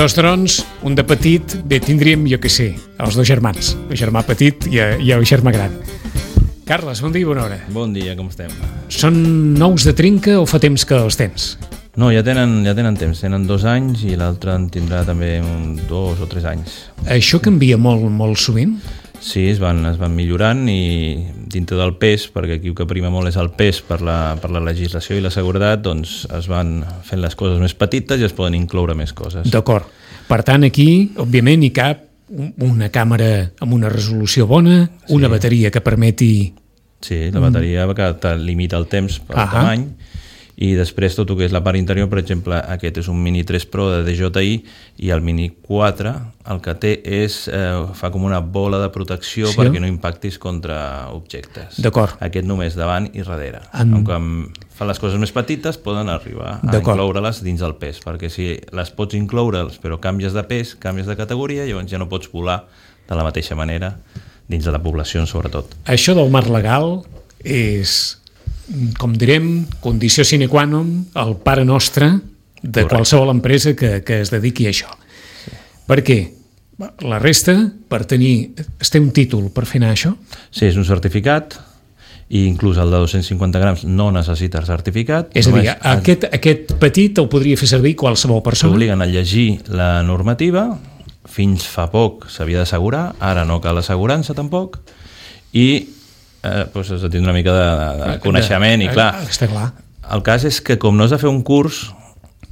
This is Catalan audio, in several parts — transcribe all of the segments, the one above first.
Dos drons, un de petit, bé, tindríem, jo què sé, els dos germans, el germà petit i el germà gran. Carles, bon dia i bona hora. Bon dia, com estem? Són nous de trinca o fa temps que els tens? No, ja tenen temps, tenen 2 anys i l'altre en tindrà també 2 o 3 anys. Això canvia molt sovint? Sí, es van millorant i dintre del pes, perquè aquí el que prima molt és el pes per la legislació i la seguretat, doncs es van fent les coses més petites i es poden incloure més coses. D'acord. Per tant, aquí, òbviament, hi cap una càmera amb una resolució bona, una bateria que permeti... Sí, la bateria que te limita el temps per tamany, i després tot el que és la part interior, per exemple, aquest és un Mini 3 Pro de DJI i el Mini 4 el que té és, fa com una bola de protecció perquè no impactis contra objectes. D'acord. Aquest només davant i darrere. Quan fan les coses més petites poden arribar a incloure-les dins del pes, perquè si les pots incloure però canvies de pes, canvies de categoria, llavors ja no pots volar de la mateixa manera dins de la població sobretot. Això del marc legal és... com direm, condició sine qua non, el pare nostre de qualsevol empresa que es dediqui a això. Sí. Per què? La resta, per tenir... Es té un títol per fer anar això? Sí, és un certificat, i inclús el de 250 grams no necessita certificat. És a dir, aquest petit el podria fer servir qualsevol persona? T'obliguen a llegir la normativa, fins fa poc s'havia d'assegurar, ara no cal assegurança tampoc, i pues has de tenir una mica de coneixement i clar, el cas és que com no has de fer un curs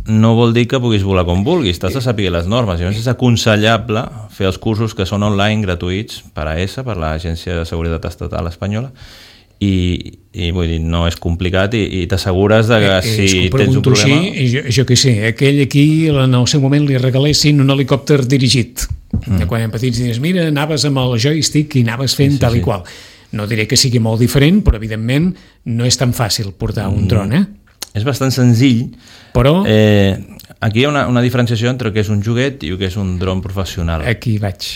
no vol dir que puguis volar com vulguis, t'has de saber les normes, llavors és aconsellable fer els cursos que són online gratuïts per AESA, per l'Agència de Seguretat Estatal Espanyola, i vull dir, no és complicat i t'assegures de que si tens un problema... Jo què sé, aquell aquí en el seu moment li regalessin un helicòpter dirigit, quan eren petits dius, mira, anaves amb el joystick i anaves fent tal i qual. No diré que sigui molt diferent, però evidentment no és tan fàcil portar un dron, És bastant senzill, però... Aquí hi ha una diferenciació entre el que és un joguet i el que és un dron professional. Aquí vaig.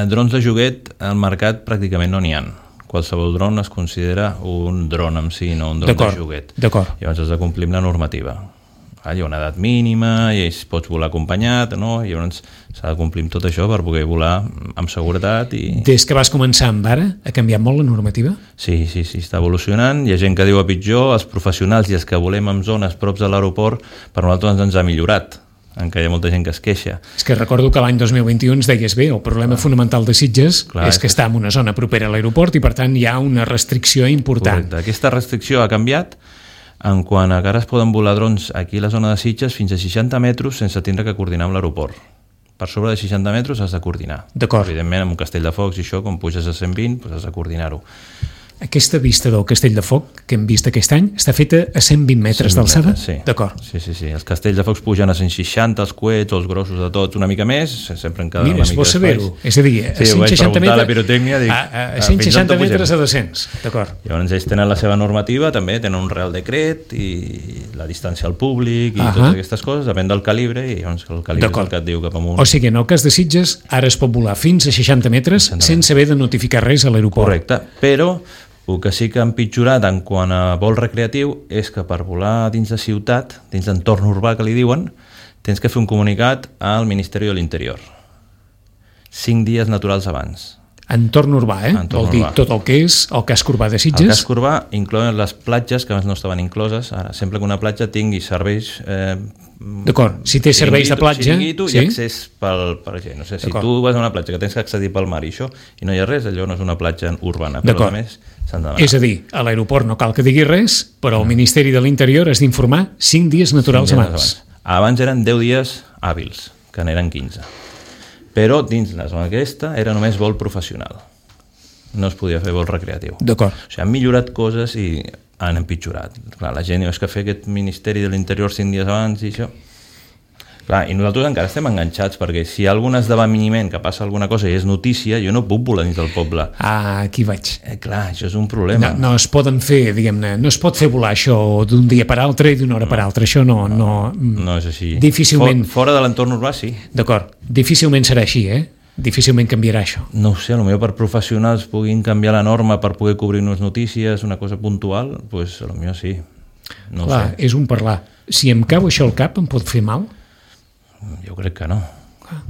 Drons de joguet, al mercat pràcticament no n'hi ha. Qualsevol dron es considera un dron en si, no un dron de joguet. D'acord. Llavors has de complir amb la normativa. Hi ha una edat mínima i pots volar acompanyat, no? I llavors s'ha de complir amb tot això per poder volar amb seguretat. Des que vas començar amb ara, ha canviat molt la normativa? Sí, està evolucionant. Hi ha gent que diu a pitjor, els professionals i els que volem en zones props de l'aeroport, per nosaltres ens ha millorat, encara hi ha molta gent que es queixa. És que recordo que l'any 2021 ens deies bé, el problema fonamental de Sitges és que està en una zona propera a l'aeroport i per tant hi ha una restricció important. Correcte. Aquesta restricció ha canviat en quant a que ara es poden volar drons aquí a la zona de Sitges fins a 60 metres sense tindre que coordinar amb l'aeroport. Per sobre de 60 metres has de coordinar. D'acord. Evidentment, amb un castell de focs i això, quan puges a 120, doncs has de coordinar-ho. Aquesta vista del castell de foc que hem vist aquest any està feta a 120 metres d'alçada? Sí. D'acord. Sí. Els castells de focs pugen a 160, els coets, els grossos de tots, una mica més, sempre en cada una mica d'espais. Mira, es pot saber-ho. És a dir, a 160 metres... la pirotècnia, dic, a 160 metres a 200. D'acord. Llavors ells tenen la seva normativa, també tenen un real decret i la distància al públic i totes aquestes coses, depèn del calibre, i llavors el calibre és el que et diu cap amunt. O sigui, en el cas de Sitges, ara es pot volar fins a 60 metres sense haver de notificar res a l'aeroport. Correcte, però el que sí que ha empitjorat en quant a vol recreatiu és que per volar dins de ciutat, dins d'entorn urbà que li diuen, tens que fer un comunicat al Ministeri de l'Interior 5 dies naturals abans. Entorn urbà, vol dir tot el que és el casc urbà de Sitges. El casc urbà inclouen les platges que abans no estaven incloses. Ara, sempre que una platja tingui serveis... D'acord, si té serveis de platja... Xiringuito i accés per gent. No sé, si tu vas a una platja que tens que accedir pel mar i això, i no hi ha res, allò no és una platja urbana. Però a més s'han de demanar. És a dir, a l'aeroport no cal que digui res, però al Ministeri de l'Interior has d'informar 5 dies naturals abans. Abans eren 10 dies hàbils, que n'eren 15. Però dins la zona aquesta era només vol professional. No es podia fer vol recreatiu. D'acord. O sigui, han millorat coses i han empitjorat. Clar, la gent diu, és que fer aquest Ministeri de l'Interior 5 dies abans i això... Clar, i nosaltres encara estem enganxats, perquè si hi ha algun esdeveniment que passa alguna cosa i és notícia, jo no puc volar dins del poble. Aquí vaig. Clar, això és un problema. No es poden fer, diguem-ne, no es pot fer volar això d'un dia per altre i d'una hora per altra. Això no és així. Difícilment... Fora de l'entorn urbà, sí. D'acord. Difícilment serà així, Difícilment canviarà això. No ho sé, potser per professionals puguin canviar la norma per poder cobrir unes notícies, una cosa puntual, doncs potser sí. No clar, és un parlar. Si em cau això al cap, em pot fer mal? Jo crec que no.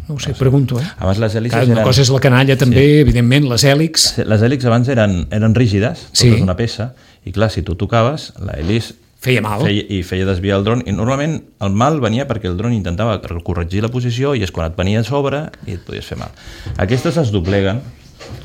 No ho sé, pregunto, Abans les hèlices una cosa és la canalla també, evidentment, les hèlix. Les hèlix abans eren rígides, totes una peça, i clar, si tu tocaves, l'hèlix feia mal. I feia desviar el dron, i normalment el mal venia perquè el dron intentava corregir la posició i és quan et venia a sobre i et podies fer mal. Aquestes es dobleguen,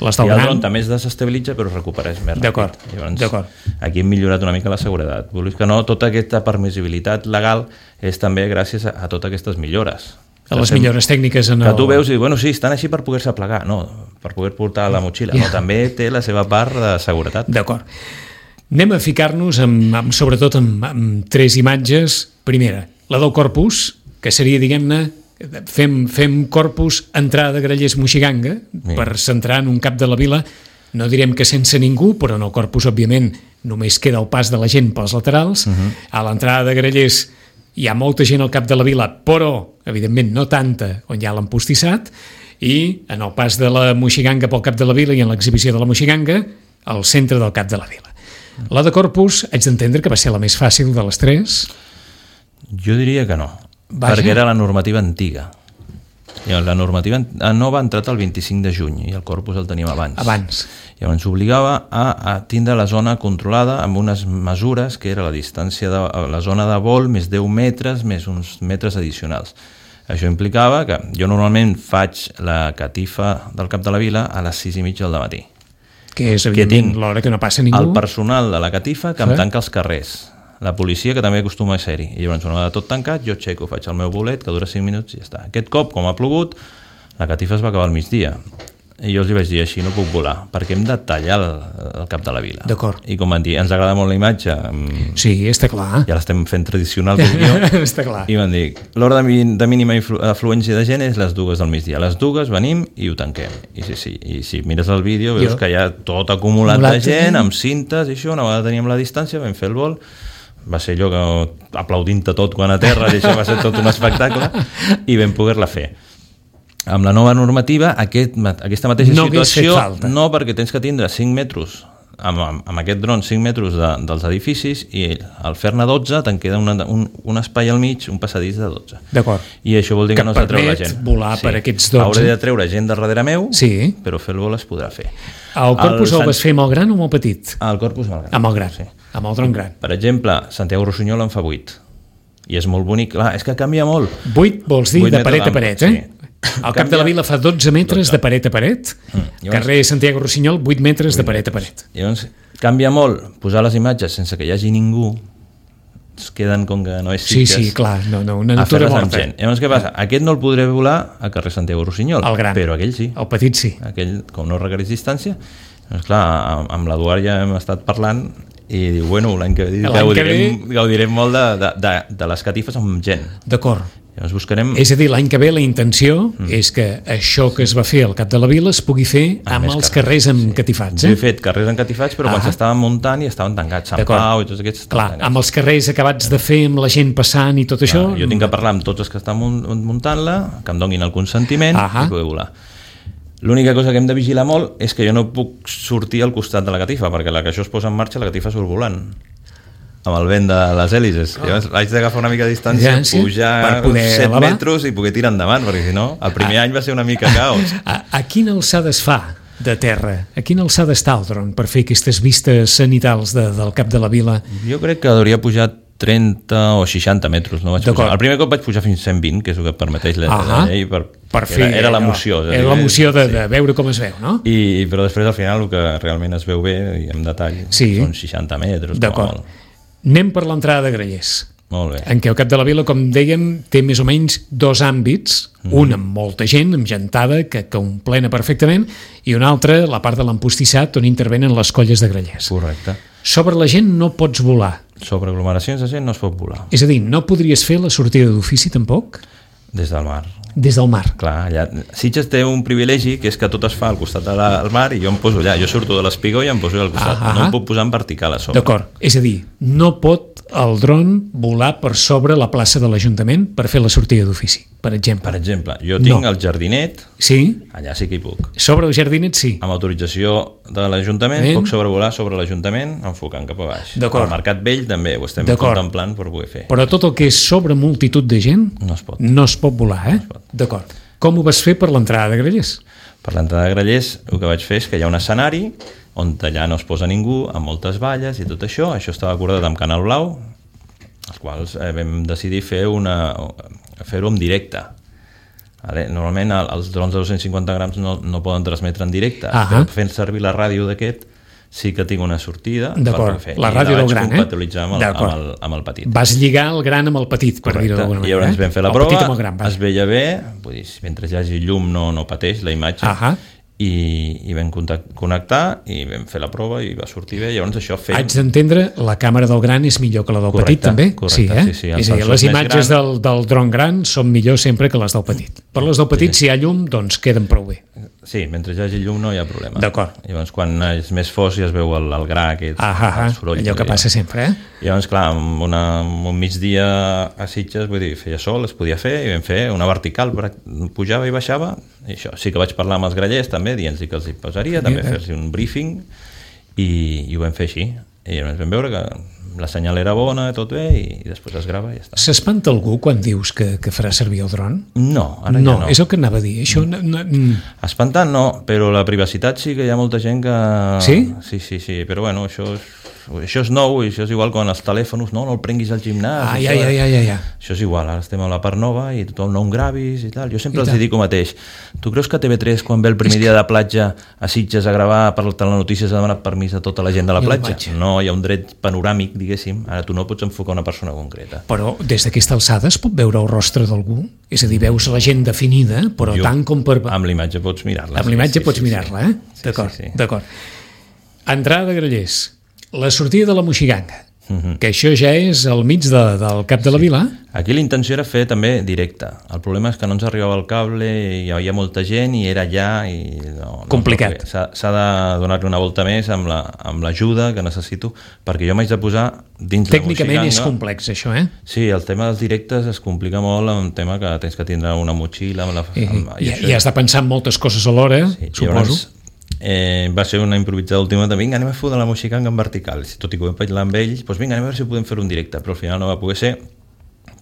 i el dron també es desestabilitza però es recupereix més ràpid. Llavors, aquí hem millorat una mica la seguretat. Vull dir que no, tota aquesta permissibilitat legal és també gràcies a totes aquestes millores. A les millores tècniques que tu veus i bueno, sí, estan així per poder-se plegar, no, per poder portar la motxilla, no, també té la seva part de seguretat. D'acord. Anem a ficar-nos sobretot amb tres imatges. Primera, la del corpus, que seria, diguem-ne, fem corpus, entrada de Grallers Moixiganga, per centrar en un cap de la vila, no direm que sense ningú, però en el corpus, òbviament, només queda el pas de la gent pels laterals. A l'entrada de Grallers hi ha molta gent al cap de la vila, però, evidentment, no tanta, on hi ha l'empostissat, i en el pas de la Moixiganga pel cap de la vila i en l'exhibició de la Moixiganga, al centre del cap de la vila. La de corpus, haig d'entendre que va ser la més fàcil de les tres? Jo diria que no, perquè era la normativa antiga. La normativa nova ha entrat el 25 de juny i el corpus el teníem abans. Llavors obligava a tindre la zona controlada amb unes mesures que era la distància de la zona de vol més 10 metres més uns metres addicionals. Això implicava que jo normalment faig la catifa del cap de la vila a les 6:30 del matí. Que és, evidentment, l'hora que no passa ningú. El personal de la catifa que em tanca els carrers. La policia, que també acostuma a ser-hi. I llavors, una vegada tot tancat, jo aixeco, faig el meu bolet, que dura 5 minuts i ja està. Aquest cop, com ha plogut, la catifa es va acabar al migdia. I jo els vaig dir, així no puc volar, perquè hem de tallar el cap de la vila. D'acord. I com van dir, ens agrada molt la imatge. Sí, està clar. Ja l'estem fent tradicional, vídeo. Està clar. I van dir, l'hora de mínima afluència de gent és les 2 del migdia. A les 2 venim i ho tanquem. I si mires el vídeo veus que hi ha tot acumulat de gent, amb cintes i això. Una vegada teníem la distància, vam fer el vol, va ser allò que aplaudint-te tot quan a terra, i això va ser tot un espectacle, i vam poder-la fer. Amb la nova normativa, aquesta mateixa situació, no, perquè tens que tindre 5 metres, amb aquest dron 5 metres dels edificis, i al fer-ne 12 te'n queda un espai al mig, un passadís de 12. D'acord. I això vol dir que no s'ha de treure la gent. Que permet volar per aquests 12. Hauré de treure gent de darrere meu, però fer el vol es podrà fer. El corpus el vas fer amb el gran o amb el petit? El corpus amb el gran. Amb el gran, amb el dron gran. Per exemple, Santiago Rossinyol en fa 8. I és molt bonic. Clar, és que canvia molt. 8 vols dir de paret a paret, eh? El cap de la vila fa 12 metres de paret a paret, carrer Santiago Rossinyol 8 metres de paret a paret. Llavors canvia molt posar les imatges sense que hi hagi ningú, es queden com que no és Sitges. Sí, clar, una natura morta. Llavors què passa? Aquest no el podré volar al carrer Santiago Rossinyol, però aquell sí. El petit sí. Aquell, com no requereix distància, doncs clar, amb l'Eduard ja hem estat parlant i diu, bueno, l'any que ve gaudirem molt de les catifes amb gent. D'acord. Llavors buscarem... És a dir, l'any que ve la intenció és que això que es va fer al cap de la vila es pugui fer amb els carrers encatifats. Jo he fet carrers encatifats, però quan s'estaven muntant i estaven tancats. Sant Pau i tots aquests estaven tancats. Amb els carrers acabats de fer, amb la gent passant i tot això... Jo tinc que parlar amb tots els que estan muntant-la, que em donin el consentiment i poder volar. L'única cosa que hem de vigilar molt és que jo no puc sortir al costat de la catifa, perquè la que això es posa en marxa, la catifa surt volant amb el vent de les hèlices. Llavors haig d'agafar una mica de distància, pujar 7 metres i poder tirar endavant, perquè si no, el primer any va ser una mica caos. A quina alçada es fa de terra? A quina alçada està el dron per fer aquestes vistes cenitals del cap de la vila? Jo crec que hauria pujar 30 o 60 metres. No vaig pujar. El primer cop vaig pujar fins a 120, que és el que permeteix la llei, era l'emoció. Era l'emoció de veure com es veu, no? Però després al final el que realment es veu bé i en detall són 60 metres. D'acord. Anem per l'entrada de Grallers. Molt bé. En què el cap de la vila, com dèiem, té més o menys 2 àmbits, un amb molta gent, amb gentada, que omplena perfectament, i un altre, la part de l'empostissat, on intervenen les colles de Grallers. Correcte. Sobre la gent no pots volar. Sobre aglomeracions de gent no es pot volar. És a dir, no podries fer la sortida d'ofici tampoc? Des del mar. Des del mar. Clar, allà... Sitges té un privilegi, que és que tot es fa al costat del mar i jo em poso allà. Jo surto de l'espigó i em poso al costat. No em puc posar en vertical a sobre. D'acord. És a dir, no pot el dron volar per sobre la plaça de l'Ajuntament per fer la sortida d'ofici, per exemple. Per exemple, jo tinc el jardinet, allà sí que hi puc. Sobre el jardinet sí. Amb autorització de l'Ajuntament puc sobrevolar sobre l'Ajuntament enfocant cap a baix. D'acord. Al Mercat Vell també ho estem contemplant per poder fer. Però tot el que és sobre multitud de gent no es pot volar, eh? D'acord. Com ho vas fer per l'entrada de Grallers? Per l'entrada de Grallers el que vaig fer és que hi ha un escenari on allà no es posa ningú, amb moltes valles i tot això. Això estava acordat amb Canal Blau, els quals vam decidir fer-ho en directe. Normalment els drons de 250 grams no poden transmetre en directe, però fent servir la ràdio d'aquest sí que tinc una sortida per fer. La ràdio del gran, compatibilitzar amb el petit. Vas lligar el gran amb el petit, per dir-ho d'alguna manera. I llavors vam fer la prova, es veia bé, vull dir, mentre hi hagi llum no pateix la imatge, i vam connectar i vam fer la prova i va sortir bé. Llavors això haig d'entendre, la càmera del gran és millor que la del petit també? Correcte, sí. És a dir, les imatges del dron gran són millor sempre que les del petit. Per les del petit, si hi ha llum, doncs queden prou bé. Sí, mentre hi hagi llum no hi ha problema. D'acord. Llavors quan és més fos ja es veu el gra aquest, el soroll. Allò que passa sempre, Llavors, clar, amb un migdia a Sitges, vull dir, feia sol, es podia fer, i vam fer una vertical, pujava i baixava, i això. Sí que vaig parlar amb els grallers també, dient-los que els hi posaria, també fer-los un briefing, i ho vam fer així. I llavors vam veure que la senyal era bona, tot bé, i després es grava i ja està. S'espanta algú quan dius que farà servir el dron? No, ara ja no. És el que anava a dir. Això espantar no, però la privacitat sí que hi ha molta gent que... Sí? Sí, però bueno, això és nou, i això és igual quan els telèfons, no el prenguis al gimnàs. Ja. Això és igual, ara estem a la part nova i tothom no gravis i tal. Jo sempre els dic el mateix. Tu creus que TV3, quan ve el primer dia de platja a Sitges a gravar per la telenotícies, ha demanat permís a tota la gent de la platja? No, hi ha un dret panoràmic, diguéssim. Ara tu no pots enfocar una persona concreta. Però des d'aquesta alçada es pot veure el rostre d'algú? És a dir, veus la gent definida, però tant com per... Amb l'imatge pots mirar-la. Amb l'imatge pots mirar-la, D'acord. Entrada de Grallers. La sortida de la Moixiganga, que això ja és al mig del cap de la vila. Aquí la intenció era fer també directe. El problema és que no ens arribava el cable, i hi havia molta gent i era allà i complicat. S'ha de donar-li una volta més amb l'ajuda que necessito, perquè jo m'haig de posar dins la Moixiganga. Tècnicament és complex això, Sí, el tema dels directes es complica molt amb el tema que tens que tindre una motxilla i has de pensar en moltes coses alhora, suposo. Va ser una improvisada última de vinga, anem a fer de la Moixiganga en vertical, tot i que ho vam parlar amb ells, doncs vinga, anem a veure si podem fer un directe, però al final no va poder ser,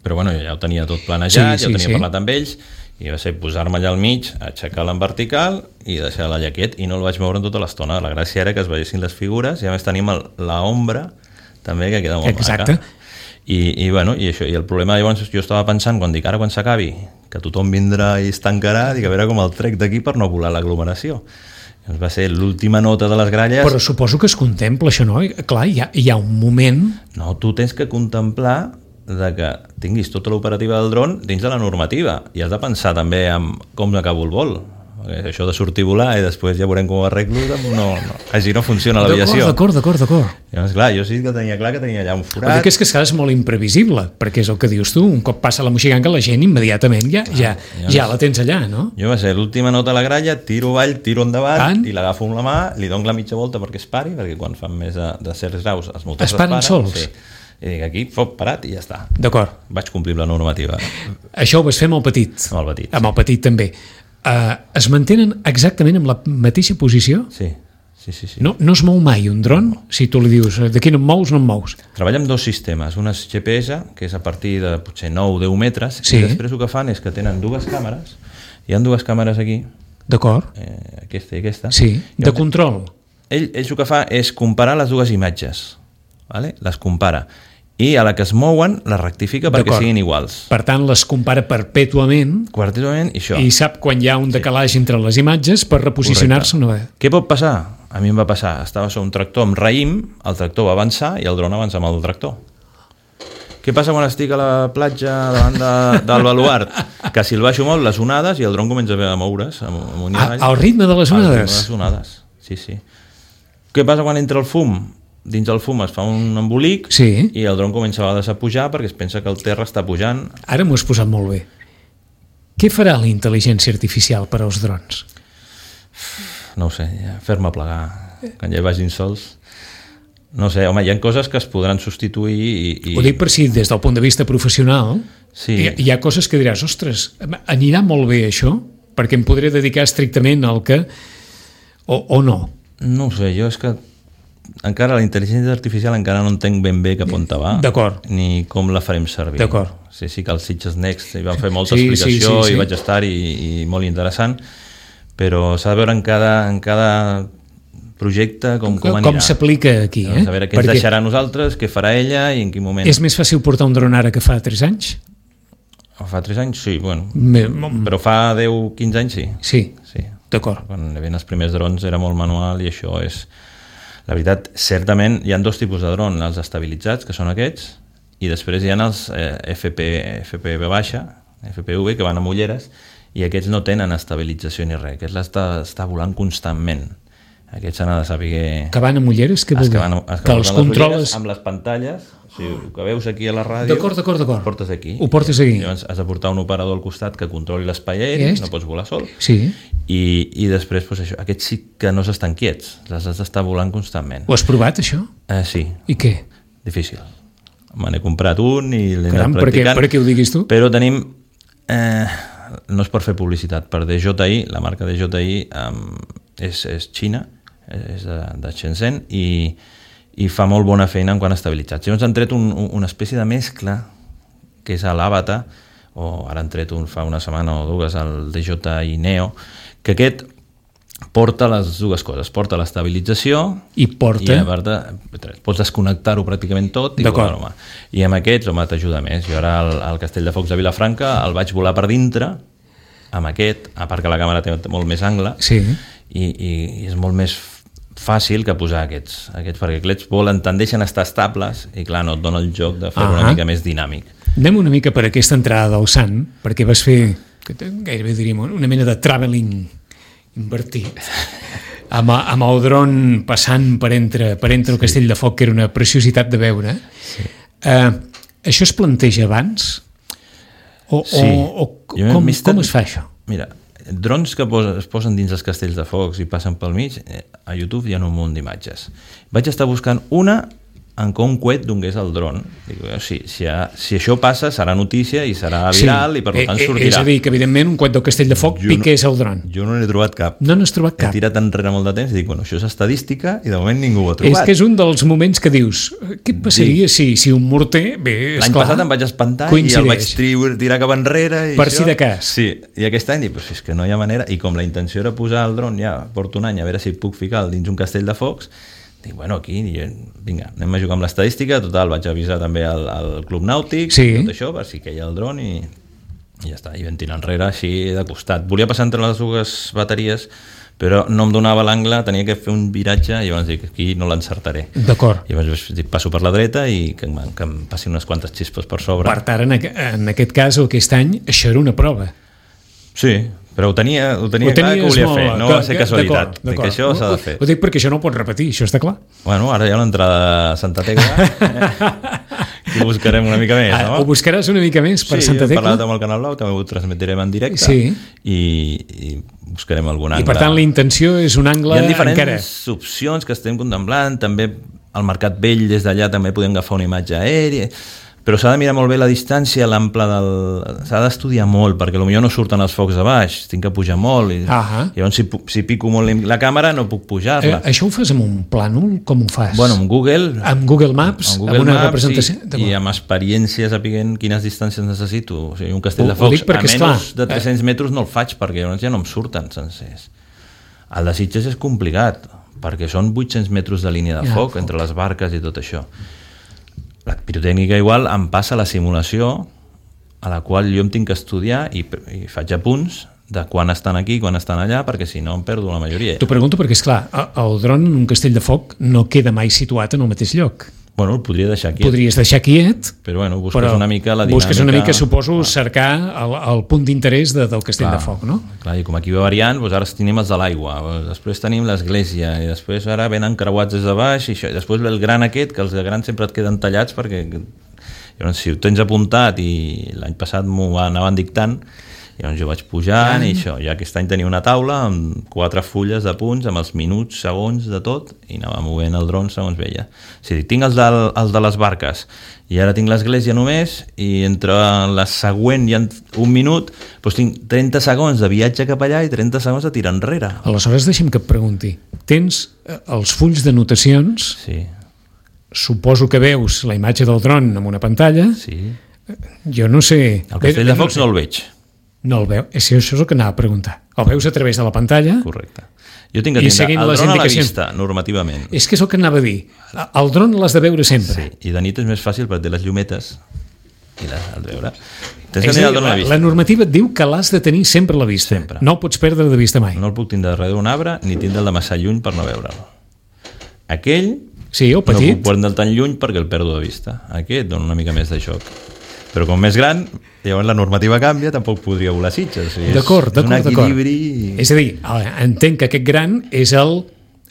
però bueno, ja ho tenia tot planejat, ja ho tenia parlat amb ells, i va ser posar-me allà al mig, aixecar-la en vertical i deixar-la allà quiet, i no el vaig moure en tota l'estona. La gràcia era que es veiessin les figures, i a més tenim l'ombra també, que queda molt maca. I això, i el problema llavors jo estava pensant, quan dic ara quan s'acabi, que tothom vindrà i es tancarà, dic a veure com el trec d'aquí per no volar l'aglomeració. Va ser l'última nota de les gralles. Però suposo que es contempla això, no? Clar, hi ha un moment... No, tu tens que contemplar de que tinguis tota l'operativa del dron dins de la normativa, i has de pensar també en com acabo el vol. Això de sortir a volar i després ja veurem com ho arreglo, així no funciona l'aviació. D'acord. Llavors, clar, jo sí que tenia clar que tenia allà un forat. El que és que és molt imprevisible, perquè és el que dius tu, un cop passa la Moixiganga la gent immediatament ja la tens allà, no? Jo va ser l'última nota a la gralla, tiro avall, tiro endavant, i l'agafo amb la mà, li dono la mitja volta perquè es pari, perquè quan fan més de certs graus els motors es paren sols. Sí. I dic, aquí, parat i ja està. D'acord. Vaig complir la normativa. Això ho vas fer amb el petit. Amb el petit també. Es mantenen exactament en la mateixa posició? Sí. No es mou mai un dron? Si tu li dius, d'aquí no em mous, no em mous. Treballa amb dos sistemes. Un és GPS, que és a partir de potser 9-10 metres, i després el que fan és que tenen dues càmeres. Hi ha dues càmeres aquí. D'acord. Aquesta i aquesta. Sí, de control. Ells el que fa és comparar les dues imatges. Les compara. I a la que es mouen la rectifica perquè siguin iguals. Per tant, les compara perpètuament i això. I sap quan hi ha un decalatge entre les imatges per reposicionar-se una vegada. Què pot passar? A mi em va passar. Estava sobre un tractor amb raïm, el tractor va avançar i el dron avança amb el tractor. Què passa quan estic a la platja davant del baluart? Que si el baixo molt, les onades, i el dron comença a moure's. Al ritme de les onades? Al ritme de les onades, sí. Què passa quan entra el fum? Dins del fum es fa un embolic i el dron comença a vegades a pujar perquè es pensa que el terra està pujant. Ara m'ho has posat molt bé. Què farà la intel·ligència artificial per als drons? No ho sé, fer-me plegar quan ja vagin sols. No sé, home, hi ha coses que es podran substituir Ho dic per si des del punt de vista professional hi ha coses que diràs, ostres, anirà molt bé això perquè em podré dedicar estrictament al que... o no? No ho sé, jo és que encara la intel·ligència artificial encara no entenc ben bé cap on va, ni com la farem servir. Sí que els Sitges Next hi van fer molta explicació i vaig estar i molt interessant, però s'ha de veure en cada projecte com anirà. Com s'aplica aquí, A veure què ens deixarà a nosaltres, què farà ella i en quin moment. És més fàcil portar un dron ara que fa 3 anys? Fa 3 anys, sí, bueno. Però fa 10-15 anys, sí. Sí, d'acord. Quan hi havia els primers drons era molt manual i això és... La veritat, certament, hi ha 2 tipus de dron, els estabilitzats, que són aquests, i després hi ha els FPV baixa, FPV, que van amb ulleres, i aquests no tenen estabilització ni res, aquests està volant constantment. Aquests s'han de saber... Que van amb ulleres? Que els controles... Amb les pantalles, o sigui, el que veus aquí a la ràdio... D'acord. Ho portes aquí. Ho portes aquí. Llavors has de portar un operador al costat que controli l'espai aeri, no pots volar sol. Sí. I després, doncs això, aquests sí que no s'estan quiets, les has d'estar volant constantment. Ho has provat, això? Sí. I què? Difícil. Me n'he comprat un i l'he anat practicant. Per què ho diguis tu? Però tenim... no és per fer publicitat, per DJI, la marca DJI és Xina, és de Shenzhen i fa molt bona feina en quant a estabilitzats. Llavors han tret una espècie de mescla que és l'Avatar, o ara han tret fa una setmana o 2 el DJI Neo, que aquest porta les 2 coses, porta l'estabilització i a part pots desconnectar-ho pràcticament tot i amb aquests t'ajuda més. Jo ara al Castell de Focs de Vilafranca el vaig volar per dintre amb aquest, a part que la càmera té molt més angle i és molt més fàcil que posar aquests perquè aquests volen, tendeixen a estar estables i clar, no et dona el joc de fer-ho una mica més dinàmic. Anem una mica per aquesta entrada del Sant, perquè vas fer, gairebé diríem, una mena de traveling invertit, amb el dron passant per entre el Castell de Foc, que era una preciositat de veure. Això es planteja abans? O com es fa això? Mira, drons que es posen dins els castells de focs i passen pel mig, a YouTube hi ha un munt d'imatges. Vaig estar buscant una en què un coet donés el dron. Dic, si això passa, serà notícia i serà viral i per tant sortirà. És a dir, que evidentment un coet del Castell de Foc piqués el dron. Jo no n'he trobat cap. No n'has trobat cap. He tirat enrere molt de temps i dic, això és estadística i de moment ningú ho ha trobat. És que és un dels moments que dius, què passaria si un morter... L'any passat em vaig espantar i el vaig tirar cap enrere. Per si de cas. Sí, i aquest any dic, és que no hi ha manera. I com la intenció era posar el dron, ja porto un any a veure si puc ficar dins un castell de focs, dic, aquí, vinga, anem a jugar amb l'estadística. Total, vaig avisar també al Club Nàutic, tot això, per si queia el dron i ja està, i vam tirar enrere així de costat. Volia passar entre les 2 bateries, però no em donava l'angle, tenia que fer un viratge i llavors dic, aquí no l'encertaré. D'acord. I llavors dic, passo per la dreta i que em passin unes quantes xispes per sobre. Per tant, en aquest cas, aquest any, això era una prova. Sí, però ho tenia clar que ho volia fer, no va ser casualitat, que això s'ha de fer. Ho dic perquè això no ho pots repetir, això està clar. Bueno, ara hi ha l'entrada a Santa Tecla, que ho buscarem una mica més, no? Ho buscaràs una mica més per Santa Tecla? Sí, he parlat amb el Canal Blau, també ho transmetrem en directe i buscarem algun angle. I per tant la intenció és un angle encara. Hi ha diferents opcions que estem contemplant, també al Mercat Vell des d'allà també podem agafar una imatge aèria, però s'ha de mirar molt bé la distància, l'ample s'ha d'estudiar molt, perquè potser no surten els focs de baix, tinc que pujar molt, i llavors si pico molt la càmera no puc pujar-la. Això ho fas amb un plànol? Com ho fas? Bueno, amb Google. Amb Google Maps? Amb una representació? I amb experiència sapiguent quines distàncies necessito. O sigui, un castell de focs a menys de 300 metres no el faig, perquè llavors ja no em surten sencers. El de Sitges és complicat, perquè són 800 metres de línia de foc entre les barques i tot això. La pirotècnica igual em passa la simulació a la qual jo em tinc que estudiar i faig apunts de quan estan aquí i quan estan allà, perquè si no em perdo la majoria. T'ho pregunto perquè, esclar, el dron en un castell de foc no queda mai situat en el mateix lloc. Bueno, el podria deixar quiet. Podries deixar quiet, però busques una mica la dinàmica. Busques una mica, suposo, cercar el punt d'interès del castell de foc, no? Clar, i com aquí va variant, ara tenim els de l'aigua, després tenim l'església, i després ara venen creuats des de baix, i després ve el gran aquest, que els de grans sempre et queden tallats, perquè llavors, si ho tens apuntat, i l'any passat m'ho anaven dictant, llavors jo vaig pujant i això, i aquest any tenia una taula amb 4 fulles de punts, amb els minuts, segons de tot, i anava movent el dron segons veia. O sigui, tinc els de les barques, i ara tinc l'església només, i entre la següent i un minut, doncs tinc 30 segons de viatge cap allà i 30 segons de tirar enrere. Aleshores, deixa'm que et pregunti, tens els fulls de notacions, Sí. suposo que veus la imatge del dron en una pantalla, Sí. jo no sé... El Castell de Focs no el veig. No el veu, això és el que anava a preguntar. El veus a través de la pantalla? Correcte. Jo tinc que tindre el dron a la vista, normativament. És que és el que anava a dir. El dron l'has de veure sempre. Sí, i de nit és més fàcil perquè té les llumetes i l'has de veure. Tens que tenir el dron a la vista. La normativa et diu que l'has de tenir sempre a la vista. Sempre. No el pots perdre de vista mai. No el puc tindre darrere d'un arbre ni tindre'l de massa lluny per no veure'l. Aquell Sí, o no petit. puc prendre'l tan lluny perquè el perdo de vista. Aquest dona una mica més de xoc. Però com més gran, llavors la normativa canvia, tampoc podria volar Sitges. O sigui, D'acord. És un equilibri... És a dir, entenc que aquest gran és el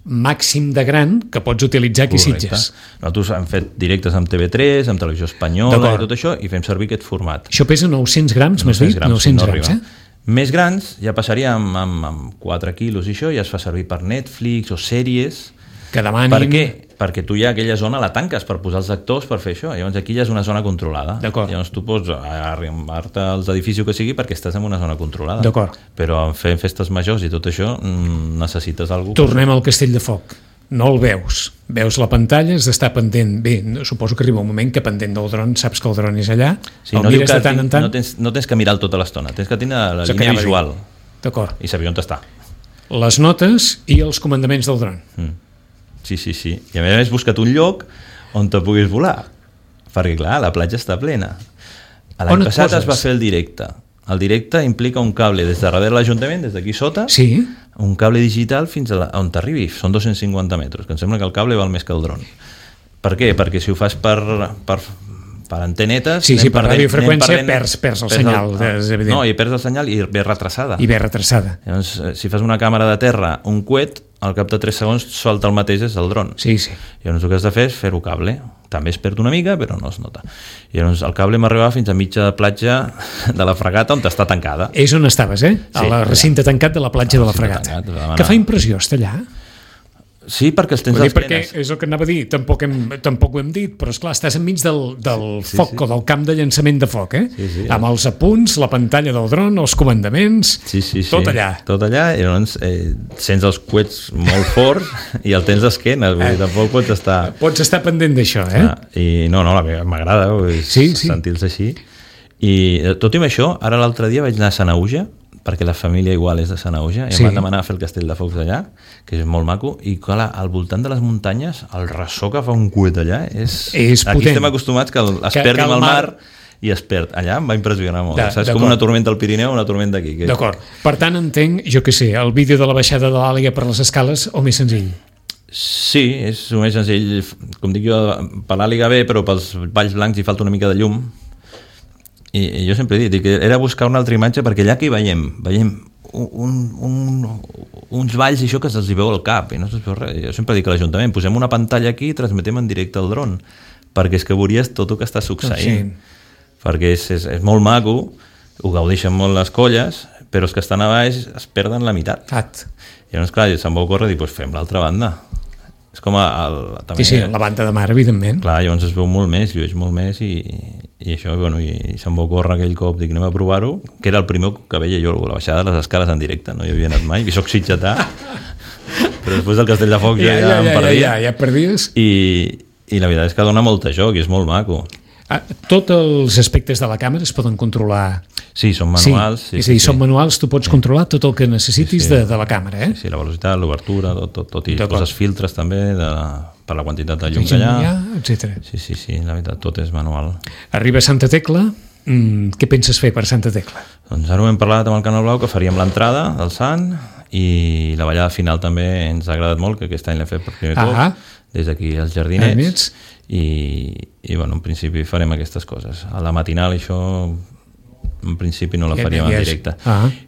màxim de gran que pots utilitzar aquí a Sitges. Nosaltres hem fet directes amb TV3, amb Televisió Espanyola i tot això, i fem servir aquest format. Això pesa 900 grams, m'has dit? 900 grams, Més grans, ja passaria amb 4 quilos i això, ja es fa servir per Netflix o sèries. Que demanin... Per què? Perquè tu ja aquella zona la tanques per posar els actors per fer això. Llavors aquí ja és una zona controlada. D'acord. Llavors tu pots arribar-te als edificis que sigui perquè estàs en una zona controlada. D'acord. Però en fer festes majors i tot això necessites alguna cosa. Tornem al Castell de Foc. No el veus. Veus la pantalla, has d'estar pendent. Bé, suposo que arriba un moment que pendent del dron saps que el dron és allà. Sí, no mires de tant en tant. No tens que mirar tota l'estona. Tens que tenir la línia visual. D'acord. I saber on està. Les notes i els comandaments del dron. Sí. I a més busca't un lloc on te puguis volar. Perquè, clar, la platja està plena. L'any passat es va fer el directe. El directe implica un cable des de darrere l'Ajuntament, des d'aquí sota, sí. Un cable digital fins on t'arribi. Són 250 metres, que em sembla que el cable val més que el dron. Per què? Perquè si ho fas per antenetes... Sí, per radiofreqüència perds el senyal. No, i perds el senyal i ve retrasada. Llavors, si fas una càmera de terra, un coet, al cap de 3 segons solta el mateix des del dron. Sí. Llavors el que has de fer és fer-ho cable. També es perd una mica, però no es nota. Llavors el cable m'arribava fins a mitja platja de la Fregata, on està tancada. És on estaves, a la recinte tancat de la platja de la Fregata. Que fa impressió estar allà. Sí, perquè els tens als perquè és el que anava a dir, tampoc ho hem dit, però esclar, estàs enmig del foc o del camp de llançament de foc, amb els apunts, la pantalla del dron, els comandaments, tot allà. Tot allà, i llavors sents els coets molt forts i el tens d'esquena, vull dir, tampoc pots estar... Pots estar pendent d'això, I no, m'agrada sentir-los així. I tot i amb això, ara l'altre dia vaig anar a Sanaüja, perquè la família igual és de Sanaüja, i em van demanar a fer el Castell de Focs allà, que és molt maco, i clar, al voltant de les muntanyes, el ressò que fa un coet allà és potent. Aquí estem acostumats que es perdi amb el mar i es perd. Allà em va impressionar molt. És com una tormenta al Pirineu o una tormenta aquí. D'acord. Per tant, entenc, jo què sé, el vídeo de la baixada de l'Àliga per les escales o més senzill? Sí, és el més senzill. Com dic jo, per l'Àliga bé, però pels Valls Blancs hi falta una mica de llum. I jo sempre he dit que era buscar una altra imatge perquè allà que hi veiem uns valls i això que se'ls hi veu al cap i no se'ls veu res. Jo sempre dic a l'Ajuntament posem una pantalla aquí i transmetem en directe el dron perquè és que veuries tot el que està succeint perquè és molt maco, ho gaudeixen molt les colles, però els que estan a baix es perden la meitat. I llavors clar, se'm va ocórrer dir, fem l'altra banda. És com la banda de mar, evidentment. Clar, llavors es veu molt més, llueix molt més i això, i se'm va ocórrer aquell cop, dic, anem a provar-ho, que era el primer que veia jo, la baixada de les escales en directe, no hi havia anat mai, i soc sitgetà, però després del Castell de Focs ja em perdia. Ja perdies. I la veritat és que dona molt joc i és molt maco. Tots els aspectes de la càmera es poden controlar. Sí, són manuals. És a dir, són manuals, tu pots controlar tot el que necessitis de la càmera. Sí, la velocitat, l'obertura, tot i poses filtres també per la quantitat de llum que hi ha, etc. Sí, la veritat, tot és manual. Arriba a Santa Tecla, què penses fer per Santa Tecla? Doncs ara ho hem parlat amb el Canal Blau, que faríem l'entrada del Sant i la ballada final també ens ha agradat molt, que aquest any l'hem fet per primer cop, des d'aquí als Jardinets, i bueno, en principi farem aquestes coses. A la matinal això en principi no la faríem en directe.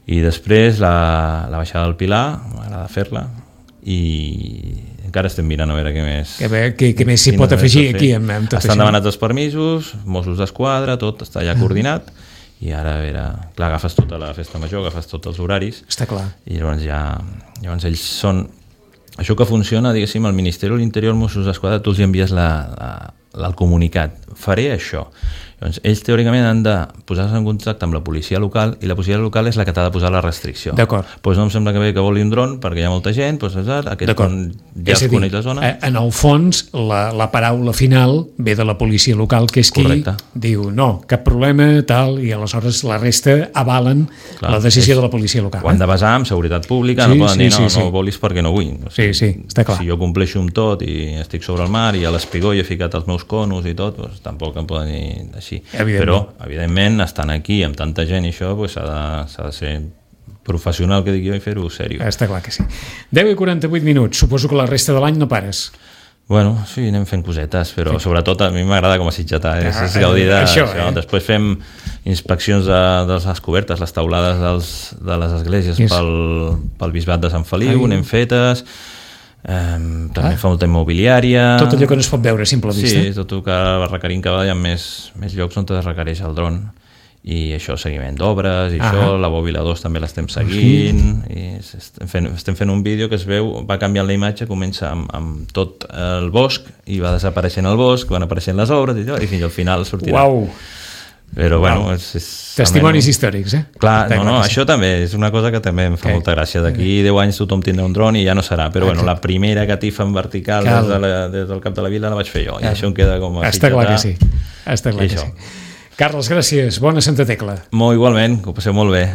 I després la baixada del Pilar, m'agrada fer-la, i encara estem mirant a veure què més... Què més s'hi pot afegir aquí amb tot això? Estan demanats els permisos, Mossos d'Esquadra, tot està ja coordinat, i ara a veure... Clar, agafes tota la festa major, agafes tots els horaris... Està clar. I llavors ells són... Això que funciona, diguéssim, el Ministeri de l'Interior, Mossos d'Esquadra, tu els envies el comunicat. Faré això. Llavors, ells teòricament han de posar-se en contacte amb la policia local i la policia local és la que t'ha de posar la restricció. D'acord. Doncs no em sembla que bé que voli un dron perquè hi ha molta gent, doncs aquest ja es coneix la zona. En el fons, la paraula final ve de la policia local, que és qui diu no, cap problema, tal, i aleshores la resta avalen la decisió de la policia local. Ho han de basar en seguretat pública, no poden dir no volis perquè no vull. Sí, està clar. Si jo compleixo amb tot i estic sobre el mar i a l'espigó i he ficat els meus conos i tot, tampoc em poden dir així. Però, evidentment, estant aquí amb tanta gent i això, s'ha de ser professional, que dic jo, i fer-ho seriós. Està clar que sí. 10 i 48 minuts. Suposo que la resta de l'any no pares. Bueno, sí, anem fent cosetes, però sobretot a mi m'agrada com a sitgetà, és gaudir d'això. Després fem inspeccions de les cobertes, les teulades de les esglésies pel bisbat de Sant Feliu, anem fetes. També fa molta immobiliària, tot allò que no es pot veure a simple vista. Sí, tot el que va requerint cada vegada hi ha més llocs on es requereix el dron i això, seguiment d'obres i això, la bòbila 2 també l'estem seguint i estem fent un vídeo que es veu, va canviant la imatge, comença amb tot el bosc i va desapareixent el bosc, van apareixent les obres i fins al final sortirà. Uau! Però bueno, testimonis històrics, Clar, això també és una cosa que també em fa molta gràcia. D'aquí 10 anys tothom tindrà un dron i ja no serà, però bueno, la primera catifa en vertical des del cap de la vila la vaig fer jo, i això em queda com a Està clar que sí. Carles, gràcies. Bona Santa Tecla. Igualment, que ho passeu molt bé.